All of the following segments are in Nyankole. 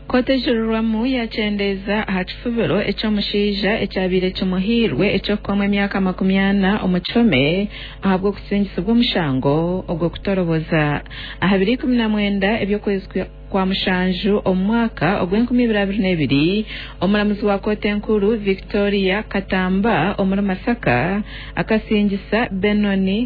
Kooti ejurirwamu yakyendeeza aha kifubiro eky'omushaija ekyabaire kimuhairwe eky'okukomwa emyaka 40 omu kihome ahabw'okusingisibwa omushango ogw'okutoroboza. Aha biro 19 eby'okwezi kwa mushanju omu mwaka ogw'enkumi ibiri abiri n'ebiri, omuramuzi wa kooti enkuru Victoria Katamba omuri Masaka akasingisa Benoni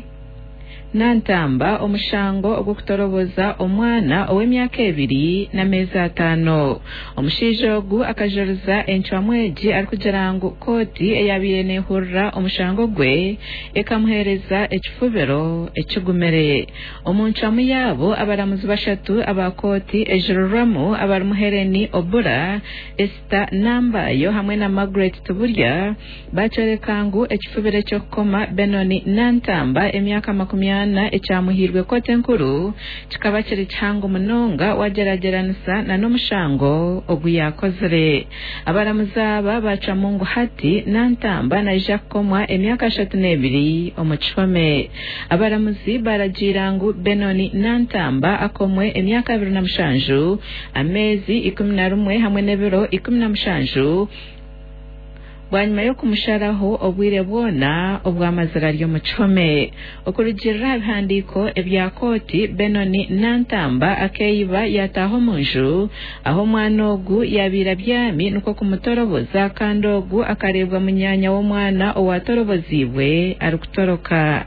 Nantamba omushango ogw'okutoroboza omwana ow'emyaka 2 n'ameezi 5. Omushaija ogu akajuriza encwamu egi arikugira ngu kooti eyabaire nehurira omushango gwe ekamuheereza ekifubiro ekigumire. Omu ncwamu yaabo, abaramuzi bashatu aba kooti ejurirwamu abarimu Hellen Obura, Esther Nambayo hamwe na Margaret Tibulya bakyoreka ngu ekifubiro eky'okukoma Benoni Nantamba emyaka 40 ekyamuhairwe kooti enkuru kikaba kiri kihango munonga wagyeragyeranisa n'omushango ogu yakozire. Abaramuzi aba bacwamu ngu hati Nantamba naija kukomwa emyaka 32 omu kihome. Abaramuzi baragiira ngu Benoni Nantamba akomwe emyaka 27, ameezi 11 hamwe n'ebiro 17 bwanyima y'okumusharaho obwire bwona obwamazire ari omu kihome. Okurugiirira aha bihandiiko ebya kooti, Benoni Nantamba akeeyiba yataaha omu nju ahu omwana ogu yabaire abyami nikwo kumutoroboza kandi ogu akareebwa munyaanya w'omwana owatoroboziibwe arikutoroka.